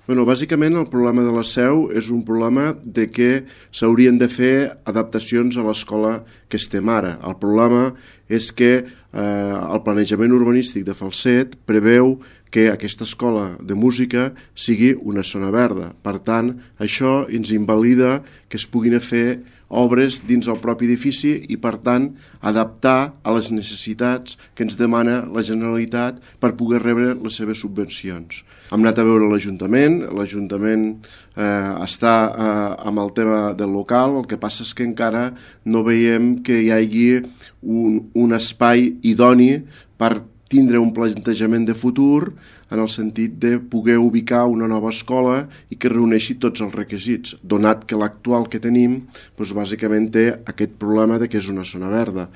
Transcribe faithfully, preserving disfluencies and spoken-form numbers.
Bueno, bàsicament el problema de la Seu és un problema de que s'haurien de fer adaptacions a l'escola que estem ara. El problema és que eh, el planejament urbanístic de Falset preveu que aquesta escola de música sigui una zona verda. Per tant, això ens invalida que es puguin fer obres dins el propi edifici i, per tant, adaptar a les necessitats que ens demana la Generalitat per poder rebre les seves subvencions. Hem anat a veure l'Ajuntament, l'Ajuntament eh, està eh, amb el tema del local, el que passa és que encara no veiem que hi hagi un, un espai idoni per tindre un plantejament de futur en el sentit de poder ubicar una nova escola i que reuneixi tots els requisits, donat que l'actual que tenim doncs, bàsicament té aquest problema de que és una zona verda.